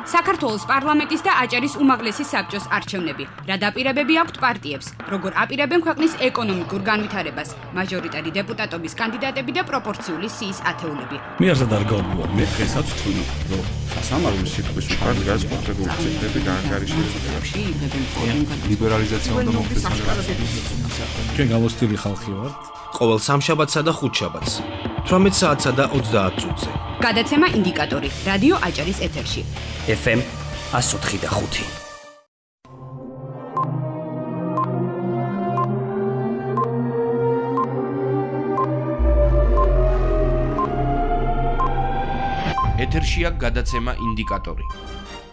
საქართველოს პარლამენტის და აჭარის უმაღლესი საბჭოს არჩევნები. რა დაპირებები აქვთ პარტიებს? როგორ აპირებენ ქვეყნის ეკონომიკურ განვითარებას? მაჟორიტარი დეპუტატობის კანდიდატები და პროპორციული სიის ათეულები. მე არ დარგავდი მე დღესაც თქვი რომ სასამართლოს სიტყვის უკან დგას კონკრეტული ციფრები განკარიშებში ლიბერალიზაცია უნდა მოხდეს. ჩვენ გამოსტილი ხალხი ვართ. ყოველ სამშაბათსა და ხუთშაბათს 18 საათსა და 30 წუთზე. გადაცემა ინდიკატორი რადიო აჭარის ეთერში. FM 104.5. ეთერშია გადაცემა ინდიკატორი.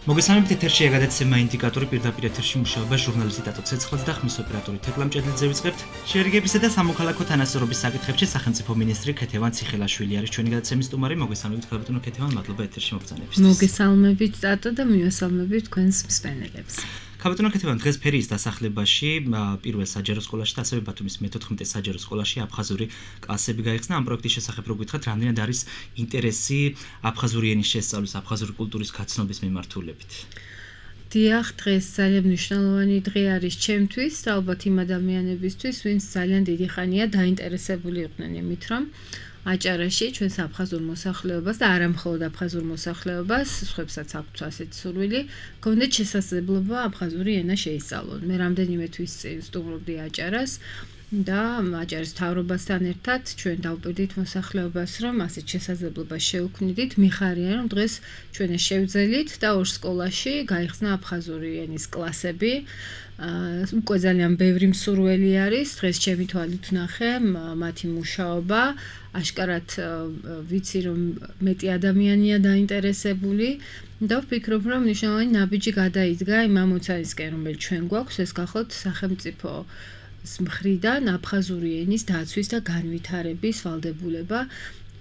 მოგესალმებით, ეთერშია გადაცემა ინდიკატორი, პირდაპირ ეთერში მუშაობა ჟურნალისტი ტატო ცეცხლაძე და ხმის ოპერატორი თეკლამ ჭედლიძე ვიწყებთ. შერიგებისა და სამოქალაქო თანასწორობის საკითხებში სახელმწიფო მინისტრი ქეთევან ციხელაშვილი არის ჩვენი გადაცემის სტუმარი. მოგესალმებით, ხალბატონო ქეთევან, მადლობა ეთერში მოგწანებისთვის. მოგესალმებით ტატო და მივესალმებით თქვენს მსმენელებს. ხალბატონო ქეთევან, დღეს ფერიის დასახლებაში პირველ საჯარო სკოლაში და ასევე ბათუმის მე-14 საჯარო სკოლაში აფხაზური კლასები გაიხსნა. ამ პროექტის შესახებ რო გითხრათ, რამდენად არის ინტერესი აფხაზური ენის შესწავლის, აფხაზური კულტურის გაცნობის მიმართულებით? დიახ, დღეს ძალიან მნიშვნელოვანი დღე არის ჩემთვის და ალბათ იმ ადამიანებისთვის, ვინც ძალიან დიდი ხანია დაინტერესებული იყვნენ იმით, რომ აჭარაში ჩვენს აფხაზურ მოსახლეობას და არა მხოლოდ აფხაზურ მოსახლეობას, სხვებსაც აქვთ ასეთი სურვილი, გქონდეთ შესაძლებლობა აფხაზური ენა შეისწავლონ. მე რამდენიმე თვის წინ სტუმრობდი აჭარას და აჭარის მთავრობასთან ერთად ჩვენ დავპირდით მოსახლეობას, რომ ასეთ შესაძლებლობას შევქმნით. მიხარია, რომ დღეს ჩვენ ეს შევძელით და ორ სკოლაში გაიხსნა აფხაზური ენის კლასები. უკვე ძალიან ბევრი მსურველი არის. დღეს ჩემი თვალით ვნახე მათი მუშაობა. აშკარად ვიცი, რომ მეტი ადამიანია დაინტერესებული და ვფიქრობ, რომ მნიშვნელოვანი ნაბიჯი გადაიდგა იმ ამოცანისკენ, რომელიც ჩვენ გვაქვს, ეს გახლავთ სახელმწიფო მხრიდან აფხაზური ენის დაცვის და განვითარების ვალდებულება.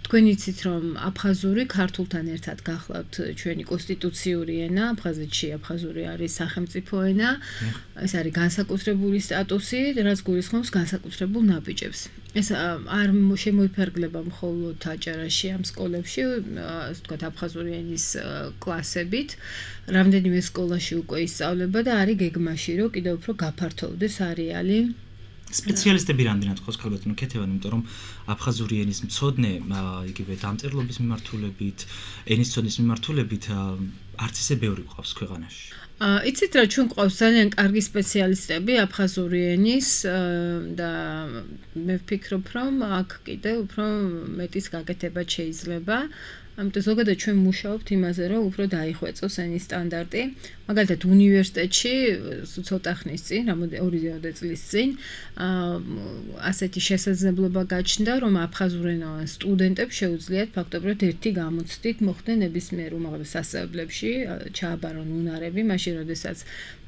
თქვენ იცით, რომ აფხაზური ქართულთან ერთად გახლავთ ჩვენი კონსტიტუციური ენა, აფხაზეთში აფხაზური არის სახელმწიფო ენა, ეს არის განსაკუთრებული სტატუსი, რაც გულისხმობს განსაკუთრებულ ნაბიჯებს. ეს არ შემოიფარგლება მხოლოდ აჭარაში ამ სკოლებში, ასე ვთქვათ, აფხაზური ენის კლასებით. რამდენიმე სკოლაში უკვე ისწავლება და არის გეგმაში, რომ კიდევ უფრო გაფართოვდეს არეალი. სპეციალისტები რამდენად ხოს ხალბატონო ქეთევან, იმიტომ რომ აფხაზური ენის მცოდნე, იგივე დამწერლობის მიმართულებით, ენის მცოდნის მიმართულებით არც ისე ბევრი ყავს ქვეყანაში. იცით რა, ჩვენ ყავს ძალიან კარგი სპეციალისტები აფხაზური ენის და მე ვფიქრობ, რომ აქ კიდევ უფრო მეტის გაკეთება შეიძლება. ამიტომ ზოგადად ჩვენ მუშაობთ იმაზე, რომ უფრო დაიხვეწოს ენის სტანდარტი. მაგალითად, უნივერსიტეტში ცოტა ხნის წინ, 2 წლის წინ, ასეთი შესაძლებლობა გაჩნდა, რომ აფხაზურენოვან სტუდენტებს შეუძლიათ ფაქტობრივად ერთი გამოცდით მოხდნენ ნებისმიერ უმაღლეს სასწავლებლებში, ჩააბარონ უნარები, მაშინ როდესაც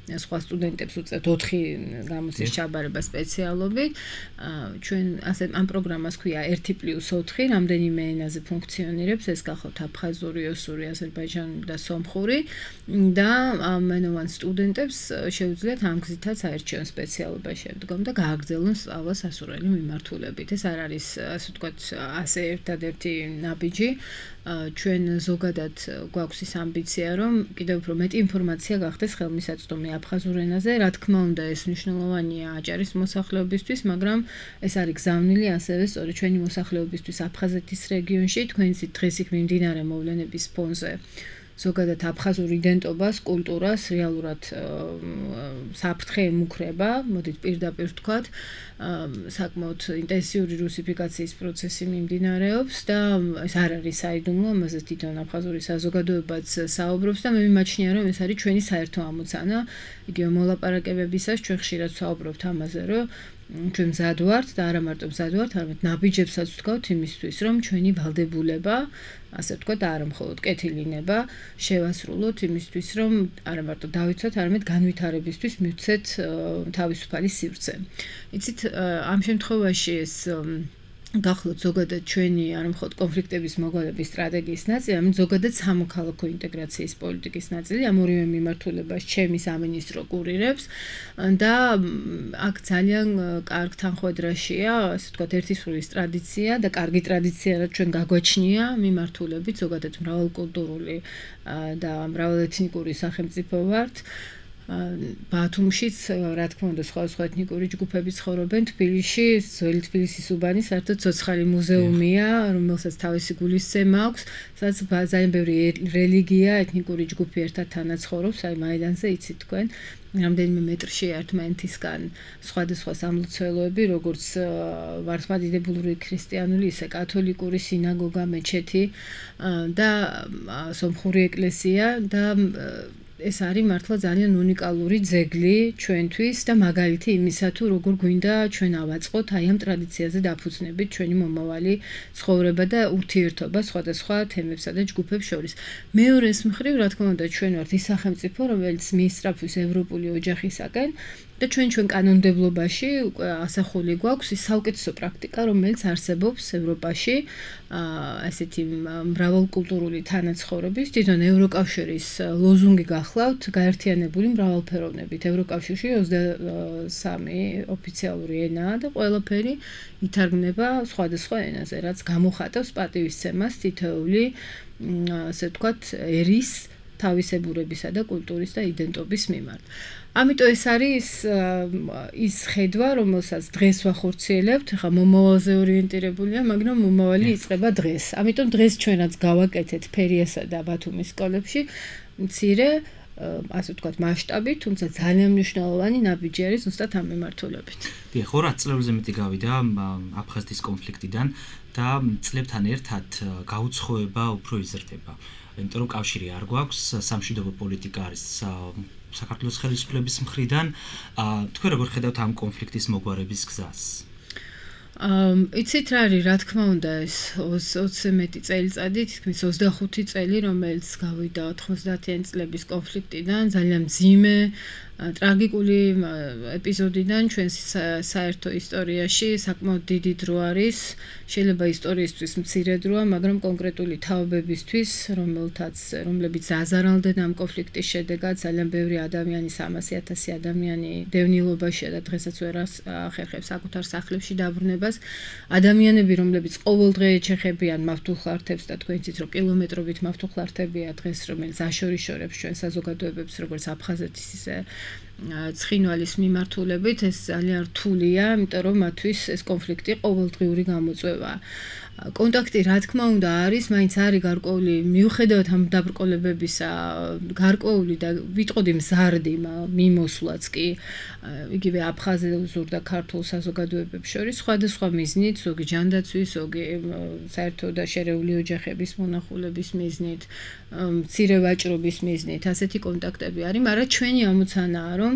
სხვა სტუდენტებს უწევთ 4 გამოცდის ჩაბარება სპეციალობით. ჩვენ ამ პროგრამას ქვია 1+4, რამდენიმე ენაზე ფუნქციონირებს, ეს გახლავთ აფხაზური, ოსური, აზერბაიჯანული და სომხური და ამენოვან სტუდენტებს შეუძლიათ ამ გზითაც აერჩიონ სპეციალობა შემდგომ და გააგრძელონ სწავლა სასურველი მიმართულებით. ეს არ არის, ასე ვთქვათ, ასე ერთადერთი ნაბიჯი. ჩვენ ზოგადად გვაქვს ის ამბიცია, რომ კიდევ უფრო მეტი ინფორმაცია გახდეს ხელმისაწვდომი აფხაზურ ენაზე. რა თქმა უნდა, ეს მნიშვნელოვანია აჭარის მოსახლეობისთვის, მაგრამ ეს არის გზავნილი ასევე სწორედ ჩვენი მოსახლეობისთვის აფხაზეთის რეგიონში. თქვენ იცით, დღეს იქ მიმდინარე მოვლენების ფონზე ზოგადად აფხაზურ იდენტობას, კულტურას რეალურად საფრთხე ემუქრება, მოდით პირდაპირ ვთქვათ, საკმაოდ ინტენსიური რუსიფიკაციის პროცესი მიმდინარეობს და ეს არ არის საიდუმლო, ამაზე თვითონ აფხაზური საზოგადოებაც საუბრობს და მე მიმაჩნია, რომ ეს არის ჩვენი საერთო ამოცანა. იგივე მოლაპარაკებებისას ჩვენ ხშირად საუბრობთ ამაზე, რომ ჩვენ მზად ვართ და არა მარტო მზად ვართ, არამედ ნაბიჯებსაც ვთქვათ იმისთვის, რომ ჩვენი ვალდებულება, ასე ვთქვათ, არა მხოლოდ კეთილინება შევასრულოთ იმისთვის, რომ არა მარტო დავიცვათ, არამედ განვითარებისთვის მივცეთ თავისუფალი სივრცე. იცით, ამ შემთხვევაში ეს გახლავთ ზოგადად ჩვენი არ მხოლოდ კონფლიქტების მოგონების სტრატეგიის ნაწილი, ამით ზოგადად სამოქალაქო ინტეგრაციის პოლიტიკის ნაწილი, ამ ორივე მიმართულებას ჩემი სამინისტრო კურირებს და აქ ძალიან კარგ თანხმედრაშია, ასე ვთქვათ, ერთისრულის ტრადიცია და კარგი ტრადიცია, რაც ჩვენ გაგვაჩნია მიმართულებით, ზოგადად მრავალკულტურული და მრავალეთნიკური სახელმწიფო ვართ. ბათუმშიც, რა თქმა უნდა, სხვა ეთნიკური ჯგუფები ცხოვრობენ თბილისში, ძველი თბილისის უბანი საერთოდ ცოცხალი მუზეუმია, რომელსაც თავისი გულისცემა აქვს, სადაც ძალიან ბევრი რელიგია, ეთნიკური ჯგუფი ერთად თანაცხოვრობს, აი მაიდანზე იცით თქვენ. რამდენიმე მეტრში ერთმანეთისგან სხვადასხვა სამლოცველოები, როგორც მართლმადიდებლური ქრისტიანული, ისე კათოლიკური სინაგოგა, მეჩეთი და სომხური ეკლესია და ეს არის მართლა ძალიან უნიკალური ძეგლი ჩვენთვის და მაგალითი იმისა, თუ როგორ გვინდა ჩვენ ავაწყოთ აი ამ ტრადიციაზე დაფუძნებით ჩვენი მომავალი ცხოვრება და ურთიერთობა სხვადასხვა თემებსა და ჯგუფებს შორის. მეორეს მხრივ, რა თქმა უნდა, ჩვენ ვართ ის სახელმწიფო, რომელიც მიისწრაფვის ევროპული ოჯახისაკენ და ჩვენ კანონმდებლობაში ასახული გვაქვს ის საუკეთესო პრაქტიკა, რომელიც არსებობს ევროპაში, ასეთი მრავალკულტურული თანაცხოვრების, თვითონ ევროკავშირის ლოზუნგი გახლავთ გაერთიანებული მრავალფეროვნებით. ევროკავშირში 23 ოფიციალური ენაა და ყველაფერი ითარგმნება სხვადასხვა ენაზე, რაც გამოხატავს პატივისცემას თითოეული, ასე ვთქვათ, ერის თავისებურებისა და კულტურის და იდენტობის მიმართ. ამიტომ ეს არის ის ხედვა, რომელსაც დღეს ვახორციელებთ, ხა მომავალზე ორიენტირებულია, მაგრამ მომავალი იწყება დღეს. ამიტომ დღეს ჩვენაც გავაკეთეთ ფერიასა და ბათუმის სკოლებში მცირე, ასე ვთქვათ, მასშტაბით, თუმცა ძალიან მნიშვნელოვანი ნაბიჯი არის ზუსტად ამ მიმართულებით. დიახ, 200 წლებზე მეტი გავიდა აფხაზეთის კონფლიქტიდან და წლებთან ერთად გაუცხოება უფრო იზრდება. იმიტომ რომ კავშირი არ გვაქვს, სამშვიდობო პოლიტიკა არის საქართველოს ხელისუფლების მხრიდან. თქვენ როგორ ხედავთ ამ კონფლიქტის მოგვარების გზას? იცით რა არის, რა თქმა უნდა, ეს 20 მეტი წელიწადი, თითქმის 25 წელი, რომელიც გავიდა 90-იანი წლების კონფლიქტიდან, ძალიან მძიმე, ტრაგიკული ეპიზოდიდან ჩვენს საერთო ისტორიაში საკმაოდ დიდი დრო არის. შეიძლება ისტორიისთვის მცირე დროა, მაგრამ კონკრეტული თაობებისთვის, რომლებიც აზარალდნენ ამ კონფლიქტის შედეგად, ძალიან ბევრი ადამიანი, 300,000 ადამიანი დევნილობაშია და დღესაც ვერ ახერხებს საკუთარ სახლებში დაბრუნებას. ადამიანები, რომლებიც ყოველდღე ეჩეხებიან მავთულხლართებს და თქვენ იცით, რომ კილომეტრობით მავთულხლართებია დღეს, რომელიც აშორიშორებს ჩვენ საზოგადოებებს, როგორც აფხაზეთის, ისე ცხინვალის მიმართულებით, ეს ძალიან რთულია, იმიტომ რომ მათთვის ეს კონფლიქტი ყოველდღიური გამოწვევაა. კონტაქტი, რა თქმა უნდა, არის, მაინც არის გარკვეული, მიუხედავად ამ დაბრკოლებებისა, გარკვეული და ვიტყოდი მზარდი მიმოსვლაც კი, იგივე აფხაზურ და ქართულ საზოგადოებებს შორის, სხვადასხვა მიზნით, ზოგი ჯანდაცვის, ზოგი საერთო და შერეული ოჯახების მონახულების მიზნით, მცირე ვაჭრობის მიზნით, ასეთი კონტაქტები არის, მაგრამ ჩვენი ამოცანაა, რომ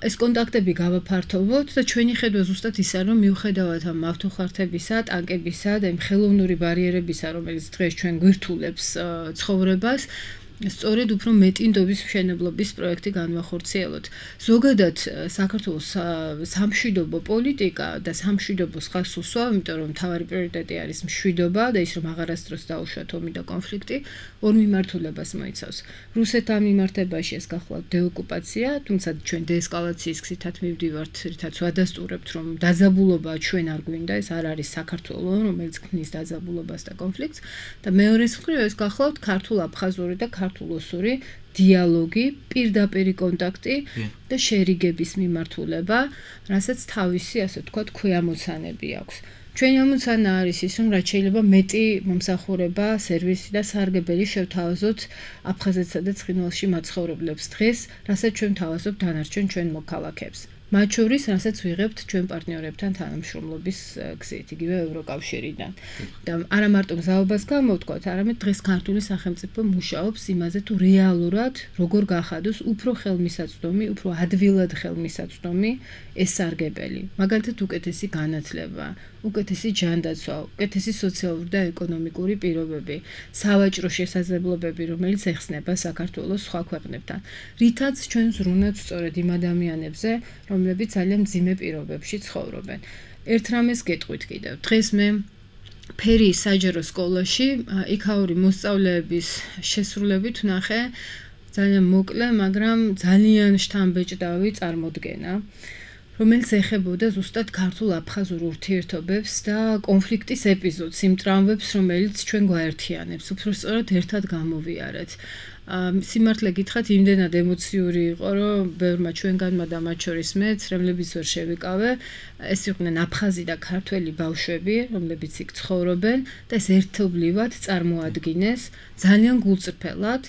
ეს კონტაქტები გავაფართოვოთ და ჩვენი ხედვა ზუსტად ისაა, რომ მიუხედავად ამ მავთულხლართებისა, ტანკებისა და იმ ხელოვნური ბარიერებისა, რომელიც დღეს ჩვენ გვირთულებს ცხოვრებას, სწორედ უფრო მეტი ნდობის მშენებლობის პროექტი განვახორციელოთ. ზოგადად საქართველოს სამშვიდობო პოლიტიკა და სამშვიდობოს ხაზს უსვა, იმიტომ რომ მთავარი პრიორიტეტი არის მშვიდობა და ის რომ აღარასდროს დაუშვათ ომი და კონფლიქტი, ორ მიმართულებას მოიცავს. რუსეთთან მიმართებაში ეს გახლავთ დეოკუპაცია, თუმცა ჩვენ დეესკალაციის გზითაც მივდივართ, რითაც ვადასტურებთ, რომ დაძაბულობა ჩვენ არ გვინდა, ეს არ არის საქართველო, რომელიც ქმნის დაძაბულობას და კონფლიქტს და მეორეს მხრივ ეს გახლავთ ქართულ-აფხაზური და ქართულ-ოსური დიალოგი, პირდაპირი კონტაქტი და შერიგების მიმართულება, რასაც თავისი, ასე ვთქვათ, ქვეამოცანები აქვს. ჩვენი ამოცანა არის ის, რომ რაც შეიძლება მეტი მომსახურება, სერვისი და სარგებელი შევთავაზოთ აფხაზეთსა და ცხინვალში მაცხოვრებლებს დღეს, რასაც ჩვენ ვთავაზობთ დანარჩენ ჩვენ მოქალაქეებს. მათ შორის, რასაც ვიღებთ ჩვენ პარტნიორებთან თანამშრომლობის გზით, იგივე ევროკავშირიდან. და არა მარტო მზაობას გამოვთქვათ, არამედ დღეს ქართული სახელმწიფო მუშაობს იმაზე, თუ რეალურად როგორ გახადოს უფრო ხელმისაწვდომი, უფრო ადვილად ხელმისაწვდომი ეს სარგებელი. მაგალითად, უკეთესი განათლება, უკეთესი ჯანდაცვა, უკეთესი სოციალური და ეკონომიკური პირობები, სავაჭრო შესაძლებლობები, რომელიც ეხსნება საქართველოს სხვა ქვეყნებთან. რითაც ჩვენ ზრუნავთ სწორედ იმ ადამიანებზე, რომლებიც ძალიან მძიმე პირობებში ცხოვრობენ. ერთ რამეს გეტყვით კიდევ. დღეს მე ფერიის საჯარო სკოლაში იქაური მოსწავლეების შესრულებით ვნახე ძალიან მოკლე, მაგრამ ძალიან შთამბეჭდავი წარმოდგენა, რომელიც ეხებოდა ზუსტად ქართულ-აფხაზურ ურთიერთობებს და კონფლიქტის ეპიზოდს, იმ ტრავმებს, რომელიც ჩვენ გვაერთიანებს, უბრალოდ ერთად გამოვიარეთ. სიმართლე გითხრათ, იმდენად ემოციური იყო, რომ ბევრმა ჩვენგანმა და მათ შორის მეც, რომლებიც ვერ შევიკავე, ეს იყვნენ აფხაზი და ქართველი ბავშვები, რომლებიც იქ ცხოვრობენ და ეს ერთობლივად წარმოადგინეს ძალიან გულწრფელად.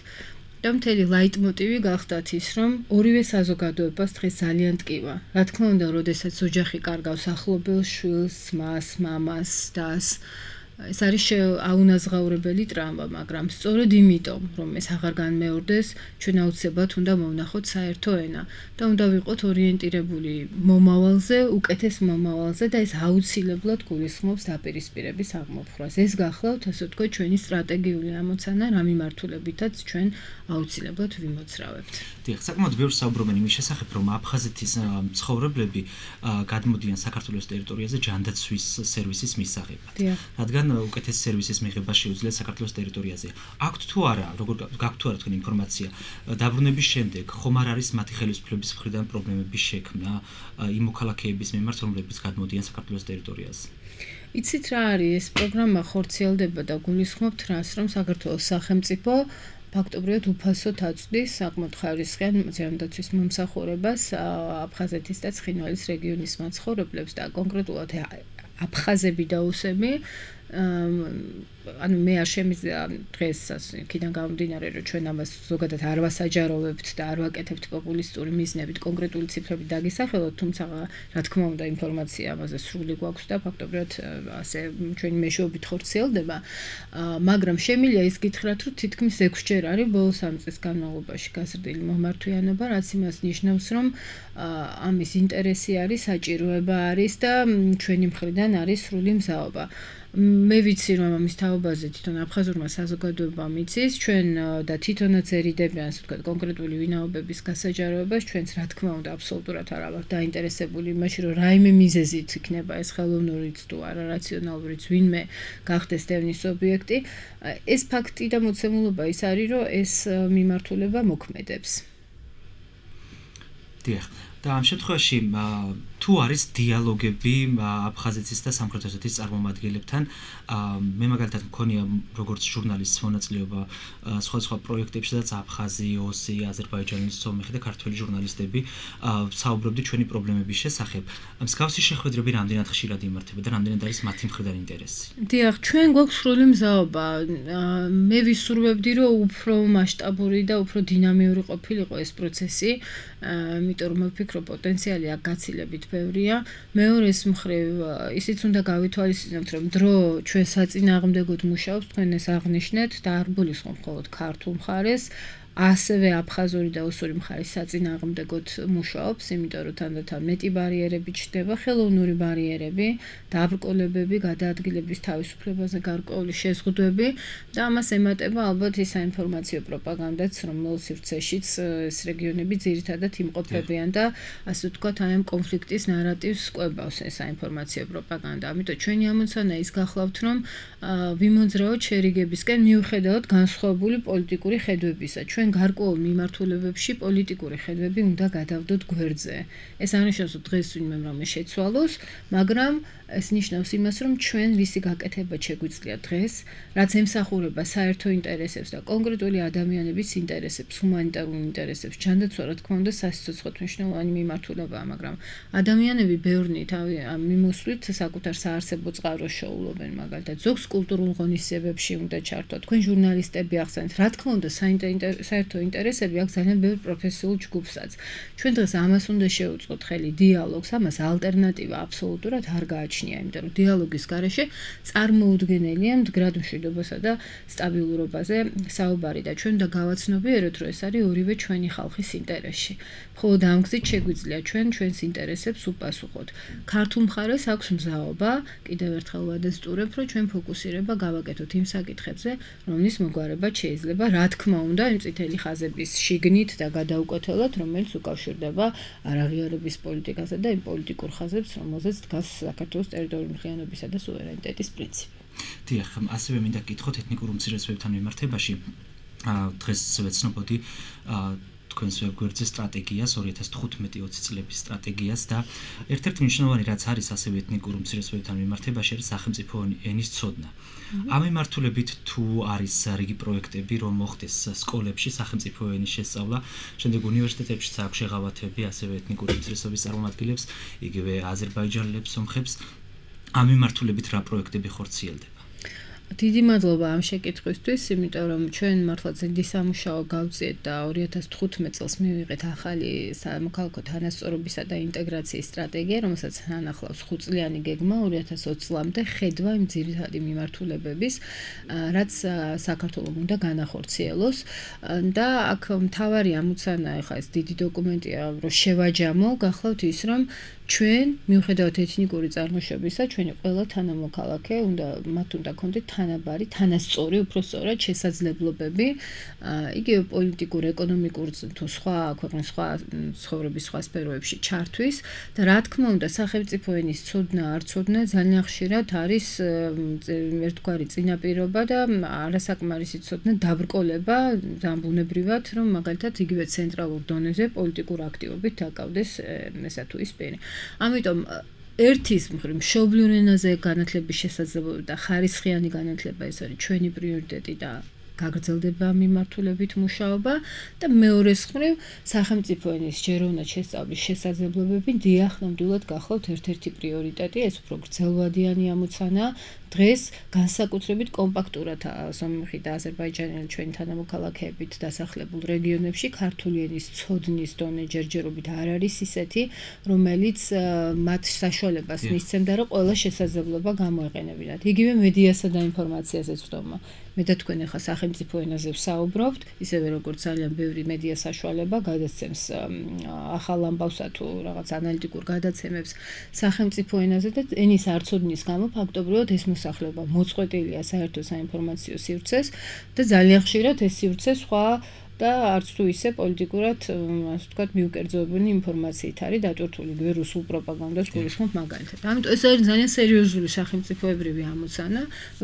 და მთელი ლაიტმოტივი გახდათ ის, რომ ორივე საზოგადოებას დღეს ძალიან ტკივა. რა თქმა უნდა, როდესაც ოჯახი კარგავს ახლობელ შვილს, მას, მამას, დას, ეს არის აუნაზღაურებელი ტრავმა, მაგრამ სწორედ იმიტომ, რომ ეს აღარ განმეორდეს, ჩვენ აუცილებლად უნდა მოვნახოთ საერთო ენა და უნდა ვიყოთ ორიენტირებული მომავალზე, უკეთეს მომავალზე და ეს აუცილებლად გულისხმობს დაპირისპირების აღმოფხვრას. ეს გახლავთ, ასე ვთქვათ, ჩვენი სტრატეგიული ამოცანა, რა მიმართულებითაც ჩვენ აუცილებლად ვიმოძრავებთ. დიახ, საკმაოდ ბევრს საუბრობენ იმის შესახებ, რომ აფხაზეთის მცხოვრებლები გადმოდიან საქართველოს ტერიტორიაზე ჯანდაცვის სერვისის მისაღებად. რადგან უკეთეს სერვისის მიღება შეუძლია საქართველოს ტერიტორიაზე. აქვთ თუ არა, როგორ გაქვთ თუ არა თქვენ ინფორმაცია, დაბრუნების შემდეგ ხომ არ არის მათი ხელისუფლების მხრიდან პრობლემების შექმნა იმ მოქალაქეების მიმართ, რომლებიც გადმოდიან საქართველოს ტერიტორიაზე? იცით რა არის, ეს პროგრამა ხორციელდება და გულისხმობთ რას, რომ საქართველოს სახელმწიფო ფაქტობრივად უფასოდ აწვდის საკმაოდ ხარისხიან ჯანდაცვის მომსახურებას აფხაზეთის და ცხინვალის რეგიონის მაცხოვრებლებს და კონკრეტულად აფხაზები და უსები ანუ მე არ შემიძლია დღეს იქიდან გამომდინარე რომ ჩვენ ამას ზოგადად არ ვასაჯაროვებთ და არ ვაკეთებთ პოპულისტური მიზნებით კონკრეტული ციფრებით დაგისახელოთ, თუმცა რა თქმა უნდა ინფორმაცია ამაზე სრული გვაქვს და ფაქტობრივად ასე ჩვენი მეშვეობით ხორციელდება, მაგრამ შემიძლია ის გითხრათ, რომ თითქმის 6 ჯერ არის ბოლო 3 წლის განმავლობაში გაზრდილი მომართვიანობა, რაც იმას ნიშნავს, რომ ამის ინტერესი არის, საჭიროება არის და ჩვენი მხრიდან არის სრული მზაობა. მე ვიცი რომ ამის თაობაზე თვითონ აფხაზურმა საზოგადოებამ იცის, ჩვენ და თვითონაც ერიდებიან, ასე ვთქვათ, კონკრეტული ვინაობების გასაჯაროებას, ჩვენც რა თქმა უნდა აბსოლუტურად არ ვართ დაინტერესებული იმაში, რომ რაიმე მიზეზით იქნება ეს ხელოვნურიც თუ არა რაციონალურიც ვინმე გახდეს დევნის ობიექტი. ეს ფაქტი და მოცემულობა ის არის, რომ ეს მიმართულება მოქმედებს. დიახ. და ამ შემთხვევაში თუ არის დიალოგები აფხაზეთის და სამხრეთ ოსეთის წარმომადგენლებთან, მე მაგალითად მქონია როგორც ჟურნალისტის მონაწილეობა სხვადასხვა პროექტებში, სადაც აფხაზი, ოსი, აზერბაიჯანის, სომეხი და ქართველი ჟურნალისტები საუბრობდნენ ჩვენი პრობლემების შესახებ. მსგავსი შეხვედრები რამდენად ხშირად იმართება და რამდენად არის მათი მხრიდან ინტერესი? დიახ, ჩვენ გვაქვს სრული მზაობა. მე ვისურვებდი, რომ უფრო მასშტაბური და უფრო დინამიური ყოფილიყო ეს პროცესი, იმიტომ რომ ვფიქრობ პოტენციალი აქ გაცილებით ბევრია. მეორეს მხრივ, ისიც უნდა გავითვალისწინოთ, რომ დრო ჩვენ საწინააღმდეგოდ მუშაობს, თქვენ ეს აღნიშნეთ და არ გულისხმობ მხოლოდ ქართულ მხარეს, ასევე აფხაზური და ოსური მხარის საწინააღმდეგოდ მუშაობს, იმიტომ რომ თანდათან მეტი ბარიერები ჩნდება, ხელოვნური ბარიერები, დაბრკოლებები, გადაადგილების თავისუფლებაზე გარკვეული შეზღუდვები და ამას ემატება ალბათ ის საინფორმაციო პროპაგანდაც, რომელს სივრცეშიც ეს რეგიონები ძირითადად იმყოფებიან და ასე ვთქვათ, აი ამ კონფლიქტის ნარატივს კვებავს ეს საინფორმაციო პროპაგანდა. ამიტომ ჩვენი ამოცანა ის გახლავთ, რომ ვიმოძრავოთ შერიგებისკენ მიუხედავად განსხვავებული პოლიტიკური ხედვებისა. ჩვენ გარკვეულ მიმართულებებში პოლიტიკური ხედვები უნდა გადავდოთ გვერდზე. ეს არ ნიშნავს, რომ დღეს ვინმე რამე შეცვალოს, მაგრამ ეს ნიშნავს იმას, რომ ჩვენ რისი გაკეთება შეგვიძლია დღეს, რაც ემსახურება საერთო ინტერესებს და კონკრეტული ადამიანების ინტერესებს, ჰუმანიტარულ ინტერესებს. ჯანდაცვა, რა თქმა უნდა, სასიცოცხლოდ მნიშვნელოვანი მიმართულებაა, მაგრამ ადამიანები ბევრნი მიმოსვლით საკუთარ საარსებო წყაროს შოულობენ, მაგალითად, ზოგს კულტურულ ღონისძიებებში უნდა ჩართვა. თქვენ ჟურნალისტები ახსენეთ, რა თქმა უნდა, საერთო ინტერესები აქვს ძალიან ბევრ პროფესიულ ჯგუფსაც. ჩვენ დღეს ამას უნდა შევუწყოთ ხელი დიალოგს, ამას ალტერნატივა აბსოლუტურად არ გააჩნია. იმიტომ რომ დიალოგის გარეშე წარმოუდგენელია მდგრად მშვიდობასა და სტაბილურობაზე საუბარი და ჩვენ უნდა გავაცნობიეროთ, რომ ეს არის ორივე ჩვენი ხალხის ინტერესში. მხოლოდ ამ გზით შეგვიძლია ჩვენს ინტერესებს უპასუხოთ. ქართულ მხარეს აქვს მზაობა, კიდევ ერთხელ ვადასტურებ, რომ ჩვენ ფოკუსირება გავაკეთოთ იმ საკითხებზე, რომლის მოგვარება შეიძლება, რა თქმა უნდა, იმ წითელი მთელი ხაზების შიგნით და გადაუკეთებლად, რომელიც უკავშირდება არაღიარების პოლიტიკასა და იმ პოლიტიკურ ხაზებს, რომელზეც დგას საქართველოს ტერიტორიული მთლიანობისა და სუვერენიტეტის პრინციპი. დიახ, ასევე მინდა გითხოთ ეთნიკურ უმცირესობებთან მიმართებაში. დღეს ვეცნობოდი თქვენს ვებგვერდზე სტრატეგიას 2015-20 წლების სტრატეგიას და ერთ-ერთი მნიშვნელოვანი რაც არის ასევე ეთნიკურ უმცირესობებთან მიმართებაში არის სახელმწიფო ენის ცოდნა. ამ მიმართულებით თუ არის რიგი პროექტები რომ მოხდეს სკოლებში სახელმწიფო ენის შესწავლა, შემდეგ უნივერსიტეტებშიც აქვს შეღავათები ასევე ეთნიკური უმცირესობების წარმომადგენლებს, იგივე აზერბაიჯანელებს, სომხებს. ამ მიმართულებით რა პროექტები ხორციელდება? დიდი მადლობა ამ შეკითხვისთვის, იმიტომ რომ ჩვენ მართლა ძლიერი სამუშაო გავწიეთ და 2015 წელს მივიღეთ ახალი სამოქალაქო თანასწორობისა და ინტეგრაციის სტრატეგია, რომელსაც ანახლავს 5 წლიანი გეგმა 2020 წლამდე ხედვა იმ ძირითადი მიმართულებების, რაც საქართველოს უნდა განახორციელოს და აქ მთავარი ამოცანა ახლა ეს დიდი დოკუმენტია, რომ შევაჯამო, გახლავთ ის, რომ ჩვენ მიუხედავად ეთნიკური წარმოშობისა, ჩვენი ყველა თანამოქალაქე მათ უნდა ქონდეთ თანაბარი, თანასწორი, უფრო სწორად შესაძლებლობები, იგივე პოლიტიკურ, ეკონომიკურ თუ სხვა ქვეყნის სხვა ცხოვრების სხვა სფეროებში ჩართვის და რა თქმა უნდა, სახელმწიფო ენის ცოდნა, არ ცოდნა ძალიან ხშირად არის ერთგვარი წინაპირობა და არასაკმარისი ცოდნა დაბრკოლება ძალიან ბუნებრივად, რომ მაგალითად იგივე ცენტრალურ დონეზე პოლიტიკურ აქტივობით დაკავდეს ესა თუ ის პირი. ამიტომ ერთის მხრივ მშობლიურ ენაზე განათლების შესაძლებლობა და ხარისხიანი განათლება ეს არის ჩვენი პრიორიტეტი და გაგრძელდება მიმართულებით მუშაობა და მეორეს მხრივ სახელმწიფო ენის ჯეროვნად შესწავლის შესაძლებლობები დიახ ნამდვილად გახლავთ ერთ-ერთი პრიორიტეტი, ეს უფრო გრძელვადიანი ამოცანა. დღეს განსაკუთრებით კომპაქტურად სომხი და აზერბაიჯანელი ჩვენი თანამოქალაქეებით დასახლებულ რეგიონებში ქართული ენის ცოდნის დონე ჯერჯერობით არ არის ისეთი, რომელიც მათ საშუალებას მისცემდა, რომ ყველა შესაძლებლობა გამოეყენებინათ. იგივე მედიასა და ინფორმაციაზე ვწდომა. მე და თქვენ ახლა სახელმწიფო ენაზე ვსაუბრობთ, ისევე როგორც ძალიან ბევრი მედია საშუალება გადაცემს ახალ ამბავსა თუ რაღაც ანალიტიკურ გადაცემებს სახელმწიფო ენაზე და ენის არცოდნის გამო ფაქტობრივად ეს მოსახლეობა მოწყვეტილია საერთო საინფორმაციო სივრცეს და ძალიან ხშირად ეს სივრცე სხვა და არც თუ ისე პოლიტიკურად, ასე ვთქვათ, მიუკერძოებული ინფორმაციით არის დატვირთული, იგივე რუსულ პროპაგანდას გულისხმობ მაგალითად. ამიტომ ეს არის ძალიან სერიოზული სახელმწიფოებრივი ამოცანა.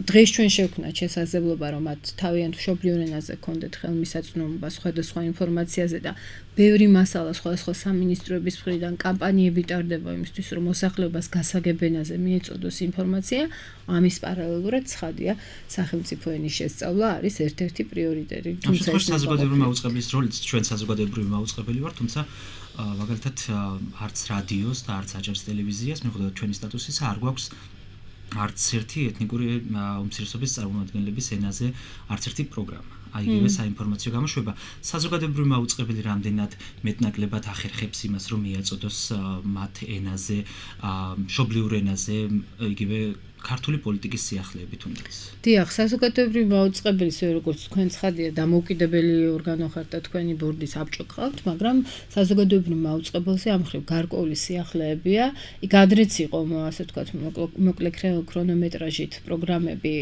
დღეს ჩვენ შევქნათ შესაძლებლობა, რომ მათ თავიანთ მშობლიურ ენაზე ჰქონდეთ ხელმისაწვდომობა სხვადასხვა ინფორმაციაზე და ბევრი მასალა სხვადასხვა სამინისტროების მხრიდან კამპანიები ტარდება იმისთვის, რომ მოსახლეობას გასაგებ ენაზე მიეწოდოს ინფორმაცია. ამის პარალელურად ცხადია, სახელმწიფო ენის შესწავლა არის ერთ-ერთი პრიორიტეტი. თუმცა საზოგადოებრივი მაუწყებლის როლიც ჩვენ საზოგადოებრივი მაუწყებელი ვართ, თუმცა მაგალითად არც რადიოს და არც აჭარის ტელევიზიას, მიუხედავად ჩვენი სტატუსისა, არ გვაქვს არც ერთი ეთნიკური უმცირესობის წარმომადგენლების ენაზე არც ერთი პროგრამა. აიგივე საინფორმაციო გამოშვება საზოგადოებრივი მაუწყებელი რამდენად მეტნაკლებად ახერხებს იმას, რომ მიაწოდოს მათ ენაზე, მშობლიურ ენაზე, იგივე ქართული პოლიტიკის სიახლეებით უნდაც. დიახ, საზოგადოებრივი მაუწყებელი, როგორც თქვენ ცხადია, დამოუკიდებელი ორგანო ხართ და თქვენი ბორდის აბჭო გყავთ, მაგრამ საზოგადოებრივ მაუწყებელზე ამ მხრივ გარკვეული სიახლეებია. იქ ადრეც იყო, ასე ვთქვათ, მოკლე ქრონომეტრაჟით პროგრამები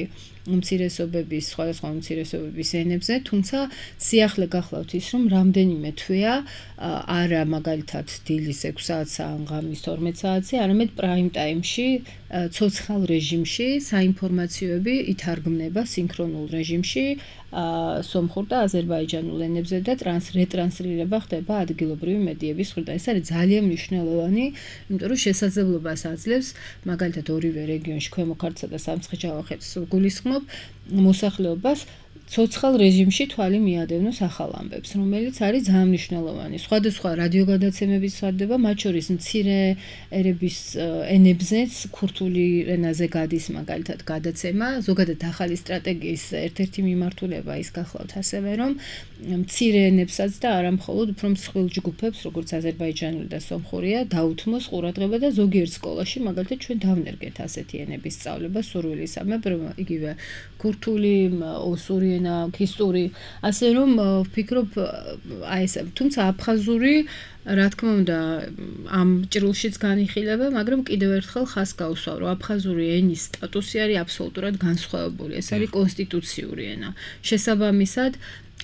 უმცირესობების, სხვადასხვა უმცირესობების ენებზე, თუმცა სიახლე გახლავთ ის, რომ რამდენიმე თვეა არა მაგალითად დილის 6 საათს ან ღამის 12 საათზე, არამედ პრაიმ ტაიმში, ცოცხალ რეჟიმში საინფორმაციოები ითარგმნება სინქრონულ რეჟიმში სომხურ და აზერბაიჯანულ ენებზე და რეტრანსლირება ხდება ადგილობრივი მედიების მხრიდან. ეს არის ძალიან მნიშვნელოვანი, იმიტომ რომ შესაძლებლობას აძლევს მაგალითად ორივე რეგიონში ქვემო ქართლსა და სამცხე-ჯავახეთს გულისხმობ მოსახლეობას ცოცხალ რეჟიმში თვალი მიადევნოს ახალ ამბებს, რომელიც არის ძალიან მნიშვნელოვანი. სხვადასხვა რადიოგადაცემები სარდება, მათ შორის მცირე ერების ენებზეც ქურთული ენაზე გადის მაგალითად გადაცემა. ზოგადად ახალი სტრატეგიის ერთ-ერთი მიმართულება ის გახლავთ ასევე, რომ მცირე ენებსაც და არა მხოლოდ უფრო მსხვილ ჯგუფებს, როგორც აზერბაიჯანული და სომხურია, დაუთმოს ყურადღება და ზოგიერთ სკოლაში მაგალითად ჩვენ დავნერგეთ ასეთი ენების სწავლება სურვილისამებრ, იგივე ქურთული, ოსური ენა, ქისტური, ასე რომ ვფიქრობ აი ეს, თუმცა აფხაზური რა თქმა უნდა ამ ჭრილშიც განიხილება, მაგრამ კიდევ ერთხელ ხას გავუსვა, რომ აფხაზური ენის სტატუსი არის აბსოლუტურად განსხვავებული. ეს არის კონსტიტუციური ენა. შესაბამისად,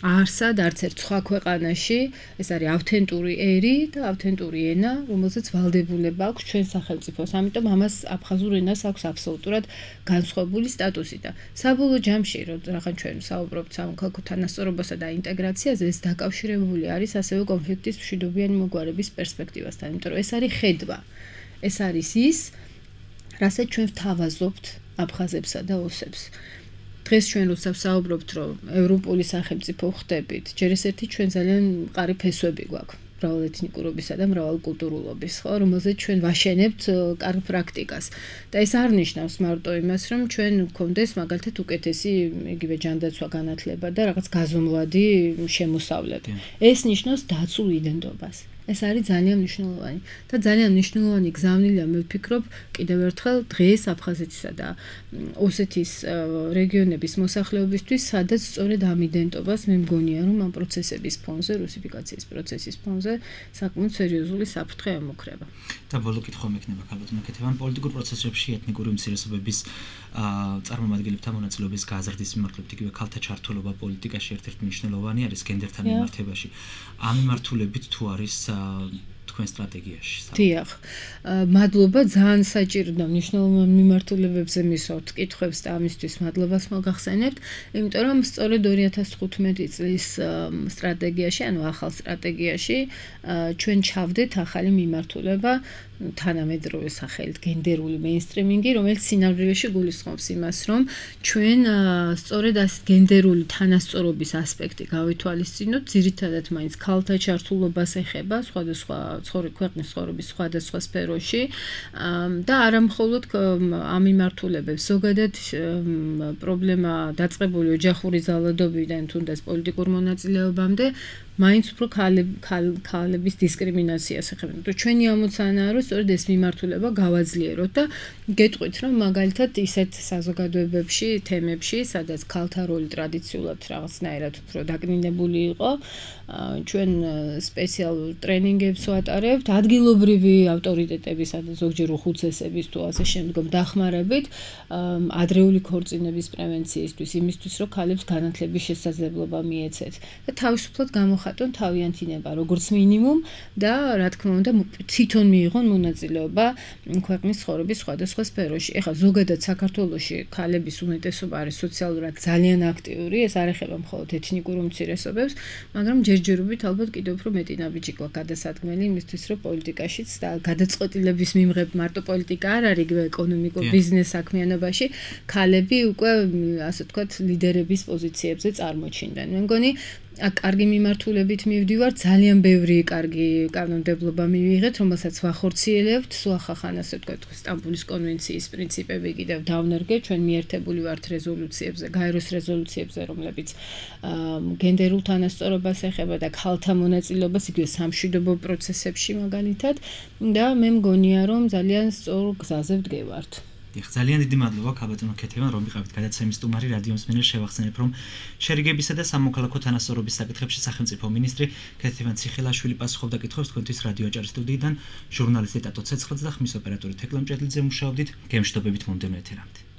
არსად არც ერთ სხვა ქვეყანაში ეს არის ავთენტური ერი და ავთენტური ენა, რომელზეც ვალდებულება აქვს ჩვენ სახელმწიფოს. ამიტომ ამას აფხაზურ ენას აქვს აბსოლუტურად განსხვავებული სტატუსი და საბოლოო ჯამში, რადგან ჩვენ საუბრობთ სამოქალაქო თანასწორობასა და ინტეგრაციაზე, ეს დაკავშირებული არის ასევე კონფლიქტის მშვიდობიანი მოგვარების პერსპექტივასთან, იმიტომ რომ ეს არის ხედვა. ეს არის ის, რასაც ჩვენ ვთავაზობთ აფხაზებსა და ოსებს. დღეს ჩვენ როცა ვსაუბრობთ, რომ ევროპული სახელმწიფო ხდებით, ჯერ ეს ერთი ჩვენ ძალიან მყარი ფესვები გვაქვს. მრავალეთნიკურობისა და მრავალკულტურულობის, ხო, რომელზეც ჩვენ ვაშენებთ კარგ პრაქტიკას. და ეს არ ნიშნავს მარტო იმას, რომ ჩვენ გვქონდეს მაგალითად უკეთესი იგივე ჯანდაცვა განათლება და რაღაც გაზომვადი შემოსავლები. ეს ნიშნავს დაცულ იდენტობას. ეს არის ძალიან მნიშვნელოვანი და ძალიან მნიშვნელოვანი გზავნილია მე ვფიქრობ კიდევ ერთხელ დღეს აფხაზეთისა და ოსეთის რეგიონების მოსახლეობისთვის, სადაც სწორედ ამ იდენტობას მე მგონია რომ ამ პროცესების ფონზე, რუსიფიკაციის პროცესის ფონზე საკმაოდ სერიოზული საფრთხე ემუქრება. და ბოლო კითხვა მექნება ქალბატონო კეთევან, პოლიტიკურ პროცესებში ეთნიკური უმცირესობების წარმომადგენლებთან მონაწილეობის გაზრდის მიმართულებით იგივე ქალთა ჩართულობა პოლიტიკაში ერთ-ერთი მნიშვნელოვანი არის გენდერთან მიმართებაში. ამ მიმართულებით თუ არის თქვენ სტრატეგიაში? დიახ. მადლობა, ძალიან საჭირო მნიშვნელოვან მიმართულებებზე მისვავთ კითხვებს და ამისთვის მადლობას მოგახსენებთ, იმიტომ რომ სწორედ 2015 წლის სტრატეგიაში, ანუ ახალ სტრატეგიაში ჩვენ ჩავდეთ ახალი მიმართულება თანამედროვე სახელით გენდერული მეინსტრიმინგი, რომელიც სინამდვილეში გულისხმობს იმას, რომ ჩვენ სწორედ ეს გენდერული თანასწორობის ასპექტი გავითვალისწინოთ, ძირითადად მაინც ქალთა ჩართულობას ეხება სხვადასხვა ქვეყნის ცხოვრების სხვადასხვა სფეროში და არა მხოლოდ ამ მიმართულებებს, ზოგადად პრობლემა დაწყებული ოჯახური ზალადობიდან თუნდაც პოლიტიკურ მონაწილეობამდე მაინც უფრო ქალების დისკრიმინაციას ეხება. ჩვენი ამოცანაა, რომ სწორედ ეს მიმართულება გავაძლიეროთ და გეტყვით, რომ მაგალითად ისეთ საზოგადოებებში, თემებში, სადაც ქალთა როლი ტრადიციულად რაღაცნაირად უფრო დაკნინებული იყო, ჩვენ სპეციალურ ტრენინგებს ვატარებთ, ადგილობრივი ავტორიტეტებისა და ზოგჯერ უხუცესების თუ ასე შემდგომ დახმარებით, ადრეული ქორწინების პრევენციისთვის, იმისთვის, რომ ქალებს განათლების შესაძლებლობა მიეცეთ და თავისუფლად გამოხატონ თავიანთი ნება, როგორც მინიმუმ და რა თქმა უნდა, თვითონ მიიღონ მონაწილეობა ქვეყნის ცხოვრების სხვადასხვა სფეროში. ეხლა ზოგადად საქართველოში ქალების უმეტესობა არის სოციალურად ძალიან აქტიური, ეს არ ეხება მხოლოდ ეთნიკურ უმცირესობებს, მაგრამ ჯერჯერობით ალბათ კიდევ უფრო მეტი ნაბიჯი გვაქვს გადასადგმელი იმისთვის, რომ პოლიტიკაშიც და გადაწყვეტილების მიმღებ მარტო პოლიტიკა არ არის, იგივე ეკონომიკურ ბიზნეს საქმიანობაში ქალები უკვე ასე ვთქვათ ლიდერების პოზიციებზე წარმოჩინდნენ. მე მგონი აქ კარგი მიმართულებით მივდივარ, ძალიან ბევრი კარგი კანონმდებლობა მივიღეთ, რომელსაც ვახორციელებთ, სულახახან ასე ვთქვათ, სტამბულის კონვენციის პრინციპები კიდევ დავნერგეთ, ჩვენ მიერთებული ვართ რეზოლუციებზე, გაეროს რეზოლუციებზე, რომლებიც გენდერულ თანასწორობას ეხება და ქალთა მონაწილეობას იგივე სამშვიდობო პროცესებში მაგალითად და მე მგონია, რომ ძალიან სწორ გზაზე ვდგევართ. დიახ, ძალიან დიდი მადლობა ქალბატონო კეთევან, რომ ვიყავით გადაცემის სტუმარი რადიოს მენელს. შევახსენებ, რომ შერიგებისა და სამოქალაქო თანასწორობის საკითხებში სახელმწიფო მინისტრი ქეთევან ციხელაშვილი პასუხობდა კითხვებს თქვენთვის რადიო აჭარის სტუდიიდან. ჟურნალისტი ტატო ცეცხლაძე და ხმის ოპერატორი თეკლა მჭედლიძე მუშაობდით. გემშვიდობებით მომდევნო ეთერამდე.